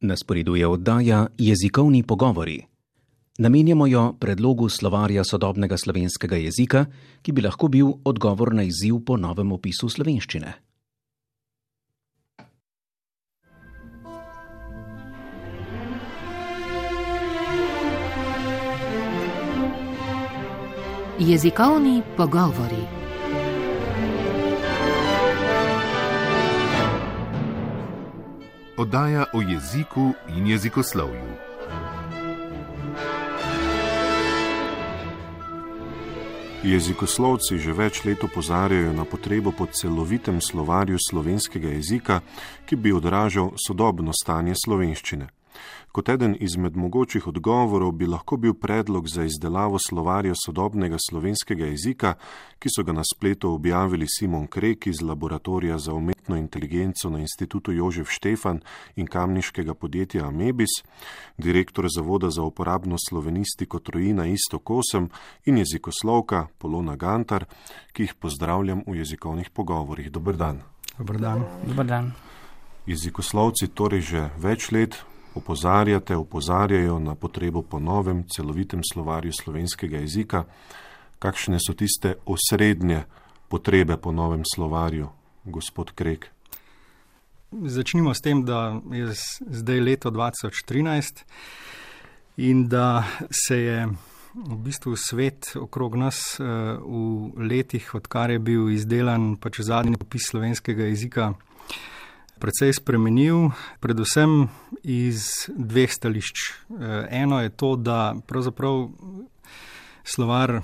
Na sporedu je oddaja Jezikovni pogovori. Namenjamo jo predlogu slovarja sodobnega slovenskega jezika, ki bi lahko bil odgovor na izziv po novem opisu slovenščine. Jezikovni pogovori. Oddaja o jeziku in jezikoslovju. Jezikoslovci že več let opozarjajo na potrebo po celovitem slovarju slovenskega jezika, ki bi odražal sodobno stanje slovenščine. Kot eden izmed mogočih odgovorov bi lahko bil predlog za izdelavo slovarja sodobnega slovenskega jezika, ki so ga na spletu objavili Simon Krek iz Laboratorija za umetno inteligenco na Institutu Jožef Štefan in kamniškega podjetja Amebis, direktor Zavoda za uporabno slovenistiko Trojina Iztok 8 in jezikoslovka Polona Gantar, ki jih pozdravljam v jezikovnih pogovorih. Dober dan. Dober dan. Dober dan. Jezikoslovci torej že več let opozarjajo na potrebo po novem celovitem slovarju slovenskega jezika. Kakšne so tiste osrednje potrebe po novem slovarju, gospod Krek? Začnimo s tem, da je zdaj leto 2013 in da se je v bistvu svet okrog nas v letih, odkar je bil izdelan zadnji opis slovenskega jezika, precej spremenil, predvsem iz dveh stališč. Eno je to, da pravzaprav slovar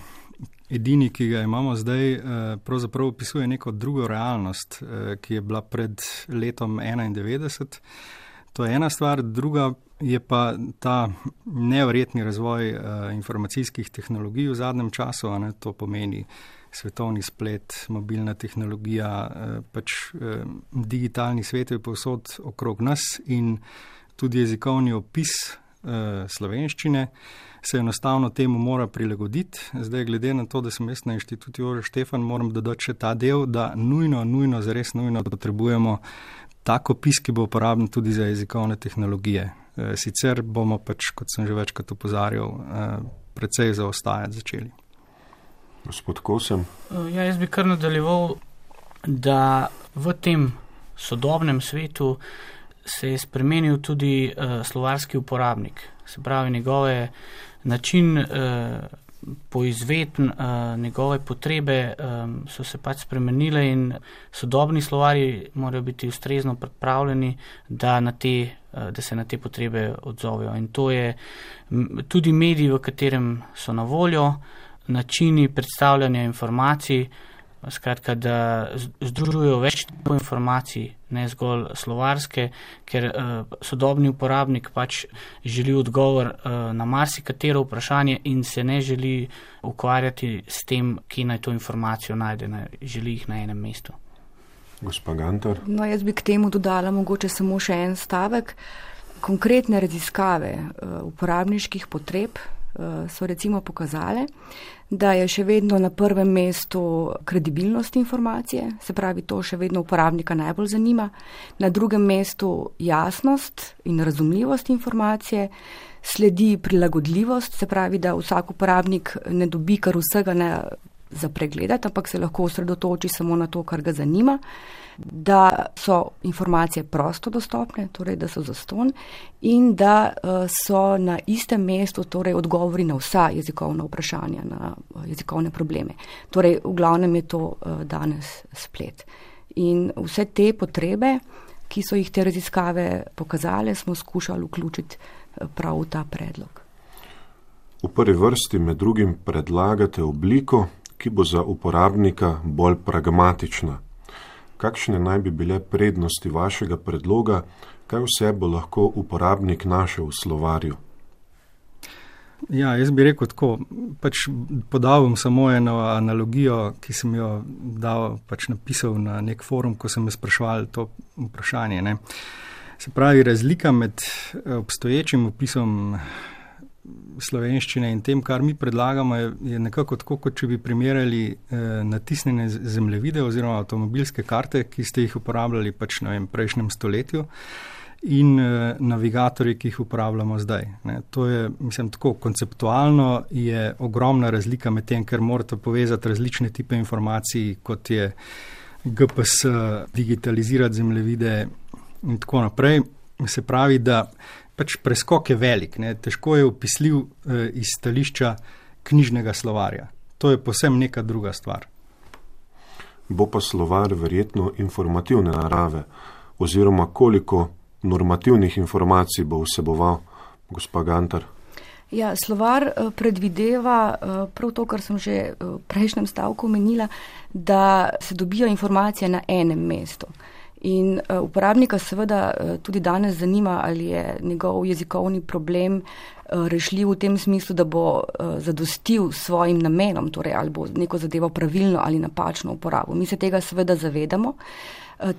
edini, ki ga imamo zdaj, pravzaprav opisuje neko drugo realnost, ki je bila pred letom 1991. To je ena stvar, druga je pa ta neverjetni razvoj informacijskih tehnologij v zadnjem času, to pomeni svetovni splet, mobilna tehnologija, digitalni svet je povsod okrog nas in tudi jezikovni opis slovenščine se enostavno temu mora prilagoditi. Zdaj, glede na to, da sem jaz na Inštitutu Jožef Štefan, moram dodati še ta del, da zares nujno potrebujemo tak opis, ki bo uporaben tudi za jezikovne tehnologije. Sicer bomo kot sem že večkrat opozarjal, precej zaostajati začeli. Gospod Kosem? Jaz bi kar nadaljeval, da v tem sodobnem svetu se je spremenil tudi slovarski uporabnik. Se pravi, njegove način poizvedb, njegove potrebe so se spremenile in sodobni slovarji morajo biti ustrezno pripravljeni, da se na te potrebe odzovejo. In to je tudi medij, v katerem so na voljo, načini predstavljanja informacij, skratka, da združujejo več tipov informacij, ne zgolj slovarske, ker sodobni uporabnik želi odgovor na marsikatero vprašanje in se ne želi ukvarjati s tem, kje naj to informacijo najde, želi jih na enem mestu. Gospa Gantar? Jaz bi k temu dodala mogoče samo še en stavek. Konkretne raziskave uporabniških potreb so recimo pokazale, da je še vedno na prvem mestu kredibilnost informacije, se pravi, to še vedno uporabnika najbolj zanima. Na drugem mestu jasnost in razumljivost informacije, sledi prilagodljivost, se pravi, da vsak uporabnik ne dobi kar vsega za pregledati, ampak se lahko osredotoči samo na to, kar ga zanima, da so informacije prosto dostopne, torej da so zastonj in da so na istem mestu torej odgovori na vsa jezikovna vprašanja, na jezikovne probleme. Torej, v glavnem je to danes splet. In vse te potrebe, ki so jih te raziskave pokazale, smo skušali vključiti prav v ta predlog. V prvi vrsti med drugim predlagate obliko, ki bo za uporabnika bolj pragmatična. Kakšne naj bi bile prednosti vašega predloga, kaj vse bo lahko uporabnik našel v slovarju? Jaz bi rekel tako, podal bom samo eno analogijo, ki sem jo napisal na nek forum, ko sem me spraševal to vprašanje. Se pravi, razlika med obstoječim opisom slovenščine in tem, kar mi predlagamo, je nekako tako, kot če bi primerjali natisnjene zemljevide oziroma avtomobilske karte, ki ste jih uporabljali v prejšnjem stoletju. in navigatorji, ki jih uporabljamo zdaj. To je, mislim, tako konceptualno je ogromna razlika med tem, ker morate povezati različne type informacij, kot je GPS, digitalizirati zemljevide in tako naprej. Se pravi, da pač preskok je velik, težko je opisljiv iz stališča knjižnega slovarja. To je povsem neka druga stvar. Bo pa slovar verjetno informativne narave, oziroma koliko normativnih informacij bo vseboval, gospa Gantar? Ja, slovar predvideva prav to, kar sem že v prejšnjem stavku omenila, da se dobijo informacije na enem mestu. In uporabnika seveda tudi danes zanima, ali je njegov jezikovni problem rešljiv v tem smislu, da bo zadostil svojim namenom, torej ali bo neko zadevo pravilno ali napačno uporabil. Mi se tega seveda zavedamo.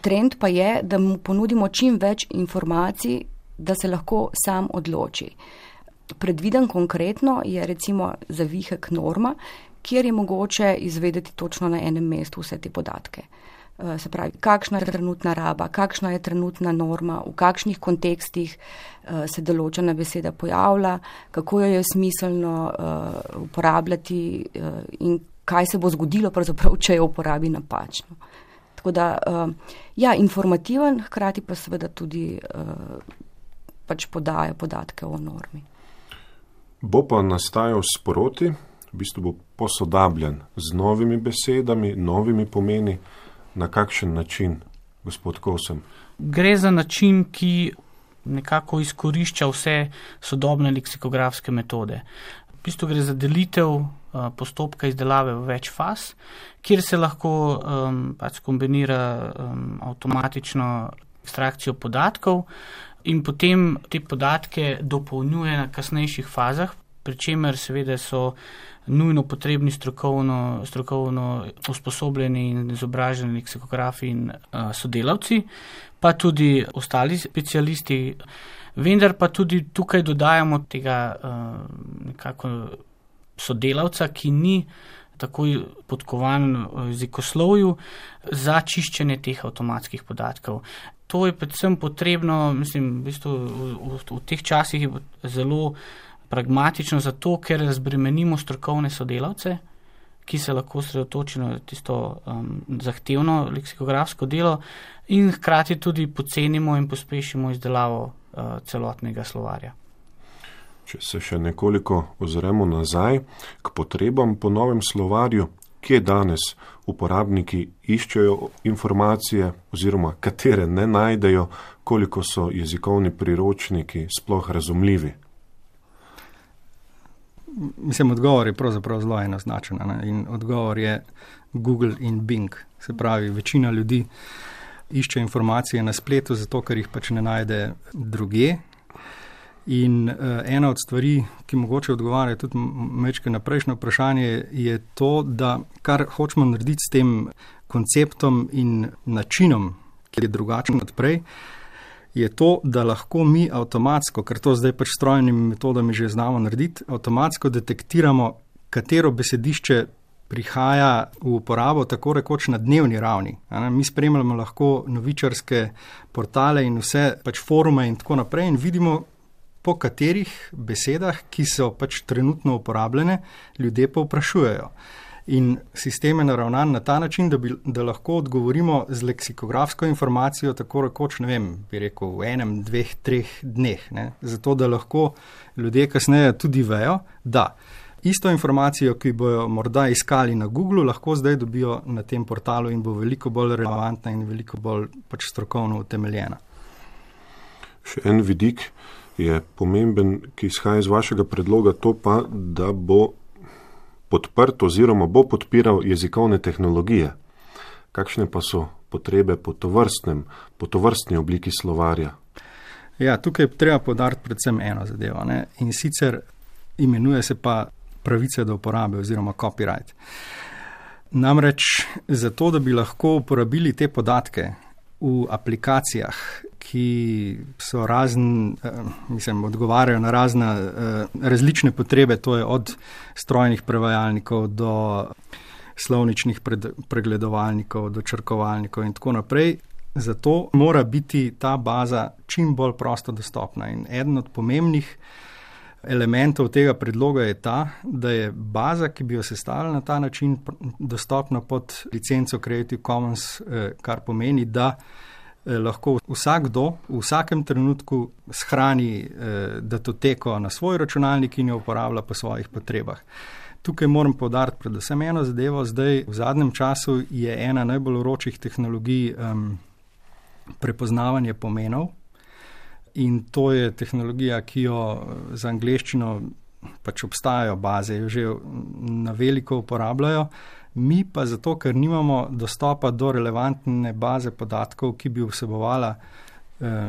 Trend pa je, da mu ponudimo čim več informacij, da se lahko sam odloči. Predviden konkretno je recimo zavihek norma, kjer je mogoče izvedeti točno na enem mestu vse te podatke. Se pravi, kakšna je trenutna raba, kakšna je trenutna norma, v kakšnih kontekstih se določena beseda pojavlja, kako jo je smiselno uporabljati in kaj se bo zgodilo, pravzaprav, če jo uporabi napačno. Tako da, ja, informativen, hkrati pa seveda tudi pač podaja podatke o normi. Bo pa nastajal sproti, v bistvu bo posodabljen z novimi besedami, novimi pomeni. Na kakšen način, gospod Kosem? Gre za način, ki nekako izkorišča vse sodobne leksikografske metode. V bistvu gre za delitev postopka izdelave v več faz, kjer se lahko pač kombinira avtomatično ekstrakcijo podatkov in potem te podatke dopolnjuje na kasnejših fazah, pri čemer seveda so nujno potrebni strokovno usposobljeni in izobraženi leksikografi in sodelavci, pa tudi ostali specialisti. Vendar pa tudi tukaj dodajamo tega nekako sodelavca, ki ni tako podkovan v jezikoslovju za čiščenje teh avtomatskih podatkov. To je predvsem potrebno, mislim, v bistvu v teh časih je zelo pragmatično zato, ker razbremenimo strokovne sodelavce, ki se lahko osredotočijo na tisto zahtevno leksikografsko delo in hkrati tudi pocenimo in pospešimo izdelavo celotnega slovarja. Če se še nekoliko ozremo nazaj k potrebam po novem slovarju, kje danes uporabniki iščejo informacije oziroma katere ne najdejo, koliko so jezikovni priročniki sploh razumljivi? Mislim, odgovor je pravzaprav zelo enoznačen, in odgovor je Google in Bing. Se pravi, večina ljudi išče informacije na spletu, zato ker jih pač ne najde drugje. In ena od stvari, ki mogoče odgovarja tudi mečke na prejšnje vprašanje, je to, da kar hočemo narediti s tem konceptom in načinom, ki je drugačen od prej, je to, da lahko mi avtomatsko, ker to zdaj pač s strojnimi metodami že znamo narediti, avtomatsko detektiramo, katero besedišče prihaja v uporabo tako rekoč na dnevni ravni. Mi spremljamo lahko novičarske portale in vse pač forume in tako naprej in vidimo, po katerih besedah, ki so pač trenutno uporabljene, ljudje pa vprašujejo. In sistem je naravnan na ta način, da lahko odgovorimo z leksikografsko informacijo tako rekoč, ne vem, bi rekel, v 1, 2, 3 dneh. Zato, da lahko ljudje kasneje tudi vejo, da isto informacijo, ki bojo morda iskali na Googlu, lahko zdaj dobijo na tem portalu in bo veliko bolj relevantna in veliko bolj pač strokovno utemeljena. Še en vidik je pomemben, ki izhaja iz vašega predloga, to pa, da bo podprt oziroma bo podpiral jezikovne tehnologije. Kakšne pa so potrebe po tovrstni obliki slovarja? Ja, tukaj treba poudariti predvsem eno zadevo, in sicer imenuje se pa pravice do uporabe oziroma copyright. Namreč zato, da bi lahko uporabili te podatke v aplikacijah, ki so odgovarjajo na različne potrebe, to je od strojnih prevajalnikov do slovničnih pregledovalnikov, do črkovalnikov in tako naprej, Zato mora biti ta baza čim bolj prosto dostopna. In eden od pomembnih elementov tega predloga je ta, da je baza, ki bi jo sestavili na ta način, dostopna pod licenco Creative Commons, kar pomeni, da lahko vsakdo v vsakem trenutku shrani datoteko na svoj računalnik in jo uporablja po svojih potrebah. Tukaj moram poudariti predvsem eno zadevo. Zdaj v zadnjem času je ena najbolj vročih tehnologij prepoznavanje pomenov. In to je tehnologija, ki jo za angleščino pač obstajajo baze, jo že na veliko uporabljajo. Mi pa zato, ker nimamo dostopa do relevantne baze podatkov, ki bi vsebovala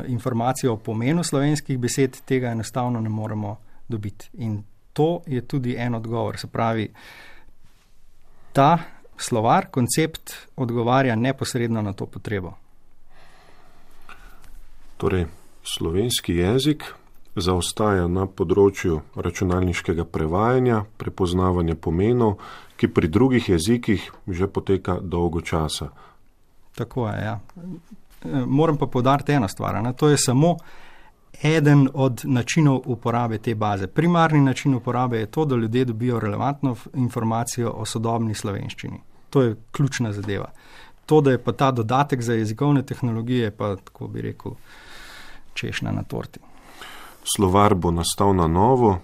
informacijo o pomenu slovenskih besed, tega enostavno ne moremo dobiti. In to je tudi en odgovor. Se pravi, ta slovar, koncept odgovarja neposredno na to potrebo. Torej, slovenski jezik zaostaja na področju računalniškega prevajanja, prepoznavanja pomenov, ki pri drugih jezikih že poteka dolgo časa. Tako je, ja. Moram pa poudariti eno stvar, to je samo eden od načinov uporabe te baze. Primarni način uporabe je to, da ljudje dobijo relevantno informacijo o sodobni slovenščini. To je ključna zadeva. To, da je pa ta dodatek za jezikovne tehnologije, pa tako bi rekel, češnja na torti. Slovar bo nastal na novo,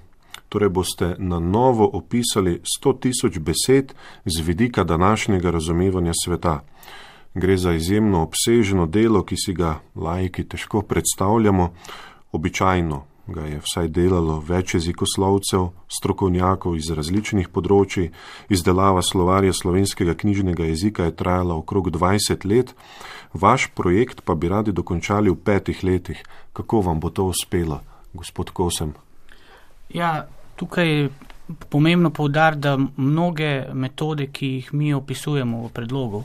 torej boste na novo opisali 100.000 besed z vidika današnjega razumevanja sveta. Gre za izjemno obsežno delo, ki si ga laiki težko predstavljamo. Običajno ga je vsaj delalo več jezikoslovcev, strokovnjakov iz različnih področij. Izdelava slovarja slovenskega knjižnega jezika je trajala okrog 20 let. Vaš projekt pa bi radi dokončali v 5 letih. Kako vam bo to uspelo, gospod Kosem? Ja, tukaj je pomembno poudariti, da mnoge metode, ki jih mi opisujemo v predlogu,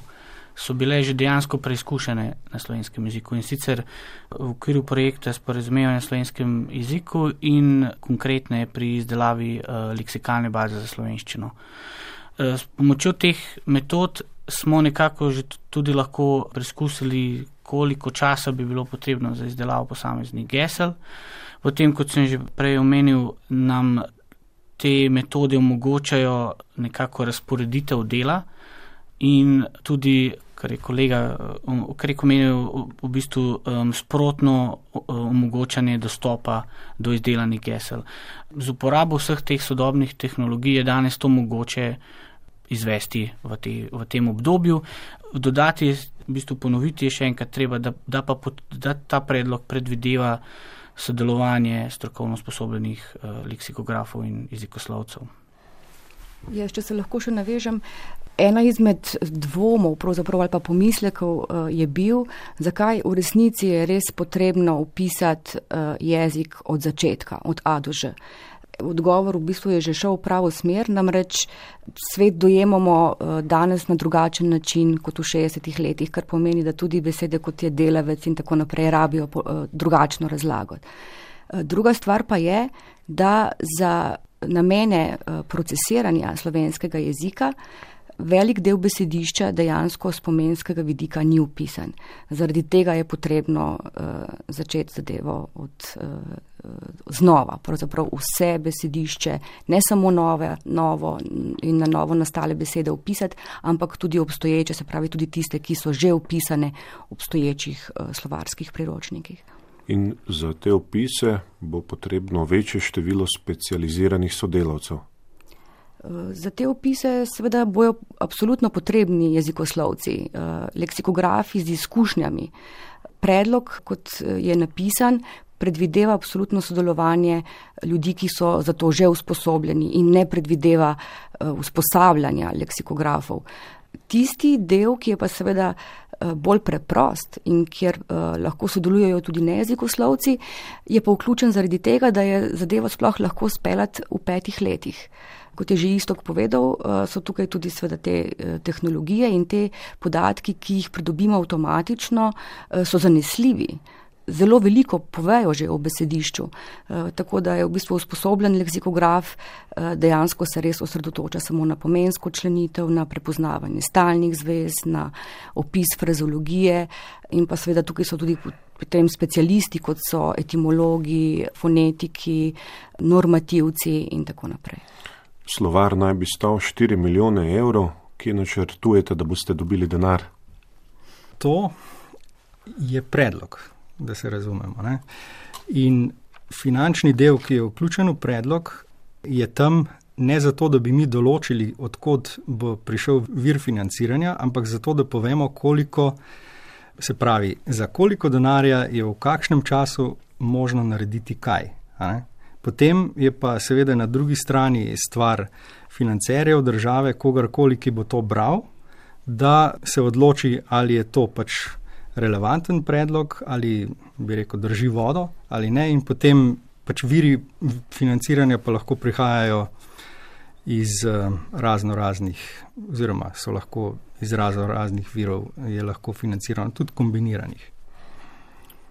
so bile že dejansko preizkušene na slovenskem jeziku, in sicer v okviru projekta Sporazumevanje na slovenskem jeziku in konkretne pri izdelavi leksikalne baze za slovenščino. S pomočjo teh metod smo nekako že tudi lahko preizkusili, koliko časa bi bilo potrebno za izdelavo posameznih gesel. Potem, kot sem že prej omenil, nam te metode omogočajo nekako razporeditev dela in tudi, kar je kolega omenil, v bistvu sprotno omogočanje dostopa do izdelanih gesel. Z uporabo vseh teh sodobnih tehnologij je danes to mogoče izvesti v tem obdobju. Dodati, v bistvu ponoviti je še enkrat treba, da ta predlog predvideva sodelovanje strokovno sposobljenih leksikografov in jezikoslovcev. Če se lahko še navežem, ena izmed dvomov pravzaprav ali pa pomislekov je bil, zakaj v resnici je res potrebno upisati jezik od začetka, od A do Ž. Odgovor v bistvu je že šel v pravo smer, namreč svet dojemamo danes na drugačen način kot v 60 letih, kar pomeni, da tudi besede kot je delavec in tako naprej rabijo drugačno razlago. Druga stvar pa je, da za namene procesiranja slovenskega jezika velik del besedišča dejansko z pomenskega vidika ni upisan. Zaradi tega je potrebno začeti zadevo znova. Pravzaprav vse besedišče, ne samo novo in na novo nastale besede upisati, ampak tudi obstoječe, se pravi tudi tiste, ki so že upisane v obstoječih slovarskih priročnikih. In za te opise bo potrebno večje število specializiranih sodelavcev. Za te opise seveda bojo absolutno potrebni jezikoslovci, leksikografi z izkušnjami. Predlog, kot je napisan, predvideva absolutno sodelovanje ljudi, ki so za to že usposobljeni in ne predvideva usposabljanja leksikografov. Tisti del, ki je pa seveda bolj preprost in kjer lahko sodelujejo tudi nejezikoslovci, je pa vključen zaradi tega, da je zadevo sploh lahko speljati v 5 letih. Kot je že Iztok povedal, so tukaj tudi seveda te tehnologije in te podatki, ki jih pridobimo avtomatično, so zanesljivi. zelo veliko povejo že o besedišču, tako da je v bistvu usposobljen leksikograf, dejansko se res osredotoča samo na pomensko členitev, na prepoznavanje stalnih zvez, na opis frazeologije in pa seveda tukaj so tudi potem specialisti, kot so etimologi, fonetiki, normativci in tako naprej. Slovar naj bi stal 4 milijone evrov, kje načrtujete, da boste dobili denar? To je predlog, da se razumemo, ne? In finančni del, ki je vključen v predlog, je tam ne zato, da bi mi določili, odkot bo prišel vir financiranja, ampak zato, da povemo, koliko, se pravi, za koliko denarja je v kakšnem času možno narediti kaj. Potem je pa seveda na drugi strani stvar financerjev države, kogarkoli, ki bo to bral, da se odloči, ali je to pač relevanten predlog, ali bi rekel drži vodo, ali ne, in potem pač viri financiranja pa lahko prihajajo iz raznoraznih, oziroma so lahko iz raznoraznih virov, je lahko financirano, tudi kombiniranih.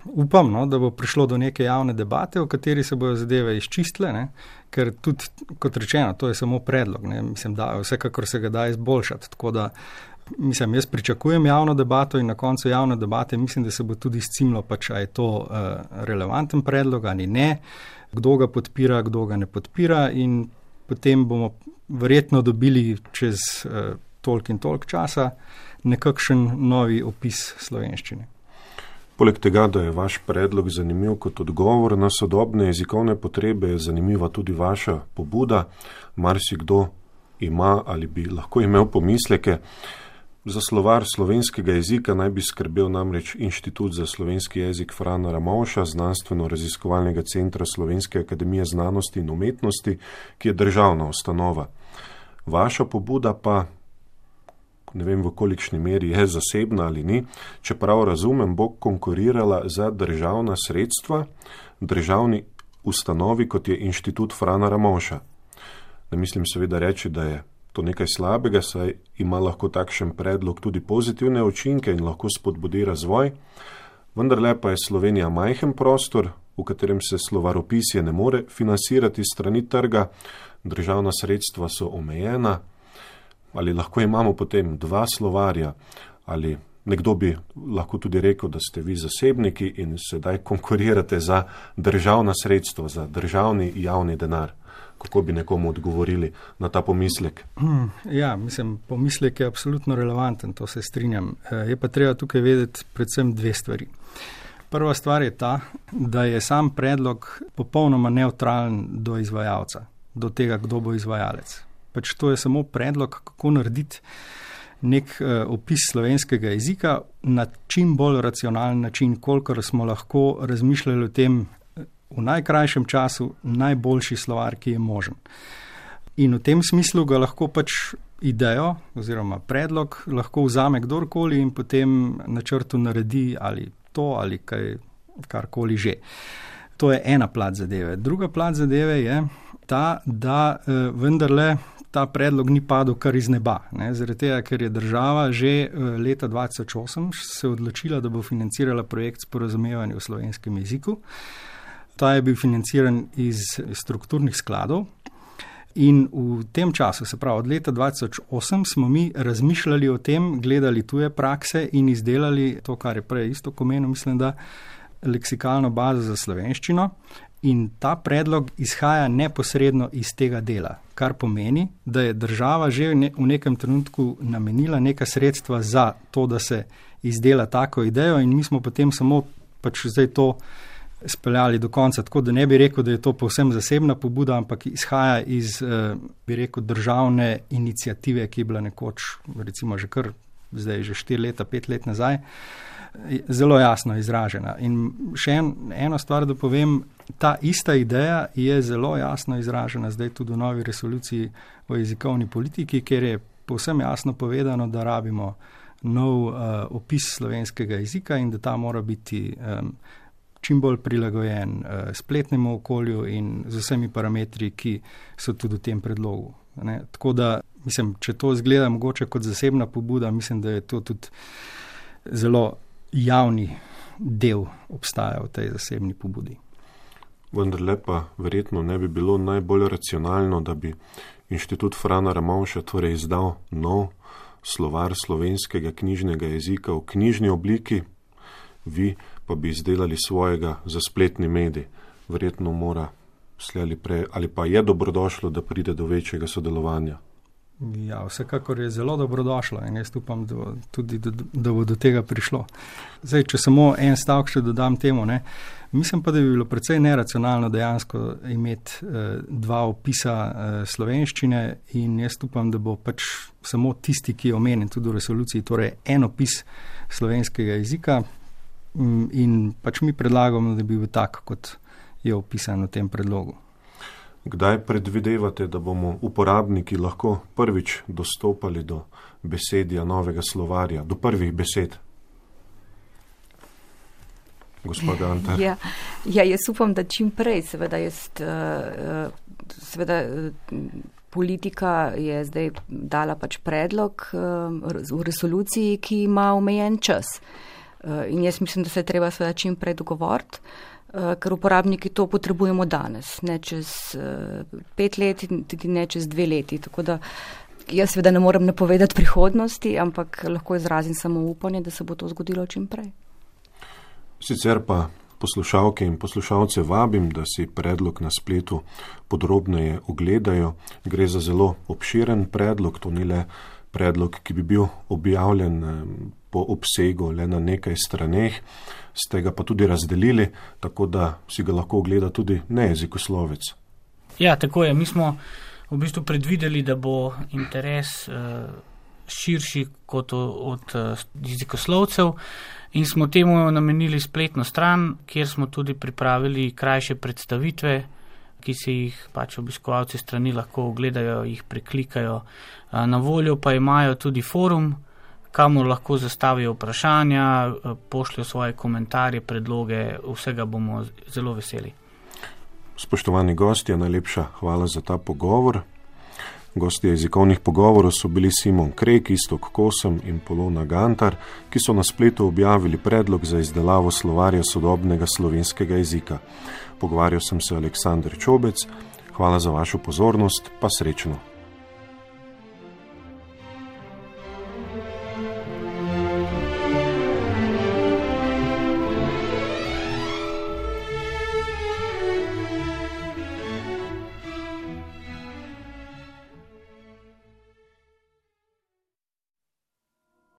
Upam, no, da bo prišlo do neke javne debate, v kateri se bojo zadeve izčistile, ne, ker tudi, kot rečeno, to je samo predlog, ne, mislim, da vsekakor se ga da izboljšati, tako da jaz pričakujem javno debato in na koncu javne debate mislim, da se bo tudi izcimlo, pač, a je to relevanten predlog ali ne, kdo ga podpira, kdo ga ne podpira in potem bomo verjetno dobili čez toliko in toliko časa nekakšen novi opis slovenščine. Poleg tega, da je vaš predlog zanimiv kot odgovor na sodobne jezikovne potrebe, je zanimiva tudi vaša pobuda. Marsikdo ima ali bi lahko imel pomisleke. Za slovar slovenskega jezika naj bi skrbel namreč Inštitut za slovenski jezik Frana Ramovša, Znanstveno-raziskovalnega centra Slovenske akademije znanosti in umetnosti, ki je državna ustanova. Vaša pobuda pa, ne vem v kolikšni meri je zasebna ali ni, čeprav razumem, bo konkurirala za državna sredstva državni ustanovi, kot je Inštitut Frana Ramovša. Ne mislim seveda reči, da je to nekaj slabega, saj ima lahko takšen predlog tudi pozitivne učinke in lahko spodbudi razvoj, vendarle pa je Slovenija majhen prostor, v katerem se slovaropisje ne more financirati strani trga, državna sredstva so omejena, ali lahko imamo potem 2 slovarja, ali nekdo bi lahko tudi rekel, da ste vi zasebniki in sedaj konkurirate za državna sredstva, za državni javni denar. Kako bi nekomu odgovorili na ta pomislek? Ja, mislim, pomislek je absolutno relevanten, to se strinjam. Je pa treba tukaj vedeti predvsem 2 stvari. Prva stvar je ta, da je sam predlog popolnoma nevtralen do izvajalca, do tega, kdo bo izvajalec. Pač to je samo predlog, kako narediti nek opis slovenskega jezika na čim bolj racionalen način, kolikor smo lahko razmišljali o tem v najkrajšem času najboljši slovar, ki je možen. In v tem smislu ga lahko pač idejo oziroma predlog lahko vzame kdorkoli in potem načrtu naredi ali to ali karkoli že. To je ena plat zadeve. Druga plat zadeve je ta, da vendarle ta predlog ni padel kar iz neba. Zaradi tega, ker je država že leta 2008 se odločila, da bo financirala projekt sporazumevanja v slovenskem jeziku. Ta je bil financiran iz strukturnih skladov in v tem času, se pravi od leta 2008, smo mi razmišljali o tem, gledali tuje prakse in izdelali to, kar je prej isto pomenil, mislim, da leksikalno bazo za slovenščino in ta predlog izhaja neposredno iz tega dela, kar pomeni, da je država že v nekem trenutku namenila neka sredstva za to, da se izdela tako idejo in mi smo potem samo pač zdaj to speljali do konca, tako da ne bi rekel, da je to povsem zasebna pobuda, ampak izhaja iz, bi rekel, državne iniciative, ki je bila nekoč, recimo že kar zdaj že 4 leta, 5 let nazaj, zelo jasno izražena. In še eno stvar, da povem, ta ista ideja je zelo jasno izražena zdaj tudi v novi resoluciji o jezikovni politiki, kjer je povsem jasno povedano, da rabimo nov opis slovenskega jezika in da ta mora biti čim bolj prilagojen spletnemu okolju in z vsemi parametri, ki so tudi v tem predlogu. Tako da, mislim, če to izgleda mogoče kot zasebna pobuda, mislim, da je to tudi zelo javni del obstaja v tej zasebni pobudi. Vendarle pa verjetno ne bi bilo najbolj racionalno, da bi Inštitut Frana Ramovša torej izdal nov slovar slovenskega knjižnega jezika v knjižni obliki, vi pa bi izdelali svojega za spletni medij. Verjetno mora slej ali pa je dobrodošlo, da pride do večjega sodelovanja. Ja, vsekakor je zelo dobrodošlo in jaz upam, da bo do tega prišlo. Zdaj, če samo en stavek še dodam temu, mislim pa, da bi bilo precej neracionalno dejansko imeti dva opisa slovenščine in jaz upam, da bo pač samo tisti, ki je omenjen tudi v resoluciji, torej en opis slovenskega jezika in pač mi predlagamo, da bi bil tak, kot je opisan v tem predlogu. Kdaj predvidevate, da bomo uporabniki lahko prvič dostopali do besedja novega slovarja, do prvih besed? Gospod Gantar. Ja, jaz upam, da čim prej, seveda politika je zdaj dala pač predlog v resoluciji, ki ima omejen čas. In jaz mislim, da se je treba seveda čim prej dogovoriti, ker uporabniki to potrebujemo danes, ne čez 5 let in tudi ne čez 2 leti. Tako da jaz seveda ne morem napovedati prihodnosti, ampak lahko izrazim samo upanje, da se bo to zgodilo čim prej. Sicer pa poslušalke in poslušalce vabim, da si predlog na spletu podrobneje ogledajo. Gre za zelo obširen predlog, to ni le predlog, ki bi bil objavljen po obsegu le na nekaj straneh, ste ga pa tudi razdelili, tako da si ga lahko ogleda tudi nejezikoslovec. Ja, tako je. Mi smo v bistvu predvideli, da bo interes širši kot od jezikoslovcev in smo temu namenili spletno stran, kjer smo tudi pripravili krajše predstavitve, ki si jih pač obiskovalci strani lahko ogledajo, jih preklikajo. Na voljo pa imajo tudi forum, kamor lahko zastavijo vprašanja, pošljajo svoje komentarje, predloge, vsega bomo zelo veseli. Spoštovani gostje, najlepša hvala za ta pogovor. Gostje jezikovnih pogovorov so bili Simon Krek, Iztok Kosem in Polona Gantar, ki so na spletu objavili predlog za izdelavo slovarja sodobnega slovenskega jezika. Pogovarjal sem se Aleksander Čobec. Hvala za vašo pozornost, pa srečno.